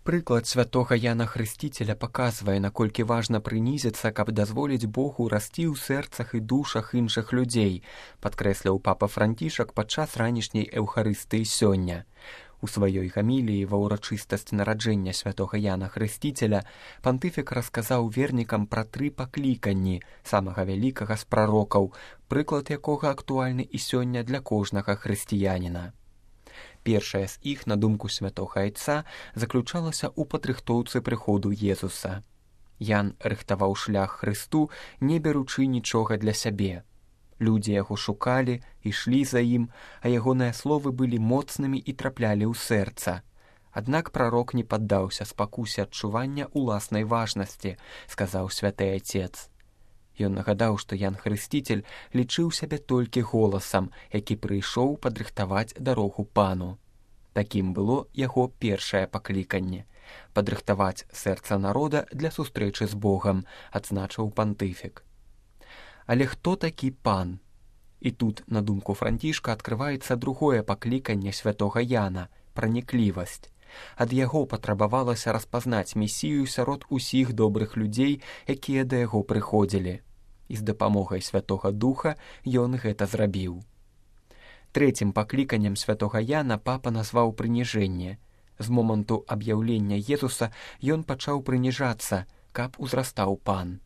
Прыклад святога Яна Хрысціцеля паказвае, наколькі важна прынізіцца, каб дазволіць Богу расці ў сэрцах і душах іншых людзей, падкрэсліў папа Францішак падчас ранішняй эўхарыстыі сёння. У сваёй гаміліі ва ўрачыстасць нараджэння святога Яна Хрысціцеля пантыфік расказаў вернікам пра 3 пакліканні самага вялікага з прарокаў, прыклад якога актуальны і сёння для кожнага хрысціяніна. Першая з іх, на думку святога Айца, заключалася ў падрыхтоўцы прыходу Езуса. Ян рыхтаваў шлях Хрысту, не беручы нічога для сябе. Людзі яго шукалі, ішлі за ім, а ягоныя словы былі моцнымі і траплялі ў сэрца. Аднак прарок не паддаўся спакусе адчування ўласнай важнасці, сказаў святы Айцец. Ён нагадаў, што Ян Хрысціцель лічыў сябе толькі голасам, які прыйшоў падрыхтаваць дарогу пану. Такім было яго першае пакліканне – падрыхтаваць сэрца народа для сустрэчы з Богам, адзначыў пантыфік. Але хто такі пан? І тут, на думку Францішка, адкрываецца другое пакліканне святога Яна – праніклівасць. Ад яго патрабавалася распазнаць месію сярод усіх добрых людзей, якія да яго прыходзілі. І з дапамогай Святога Духа ён гэта зрабіў. Трэцім пакліканнем святога Яна папа назваў прыніжэнне. З моманту аб'яўлення Езуса ён пачаў прыніжацца, каб узрастаў пан.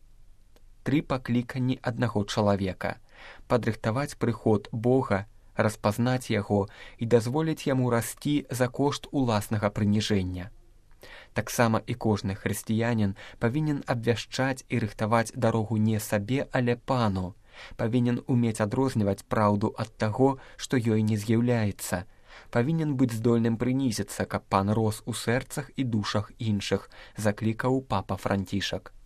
3 пакліканні аднаго чалавека – падрыхтаваць прыход Бога, распазнаць яго і дазволіць яму расці за кошт уласнага прыніжэння. Таксама і кожны хрысціянін павінен абвяшчаць і рыхтаваць дарогу не сабе, але пану, павінен умець адрозніваць праўду ад таго, што ёй не з'яўляецца, павінен быць здольным прынізіцца, каб пан рос у сэрцах і душах іншых, заклікаў папа Францішак.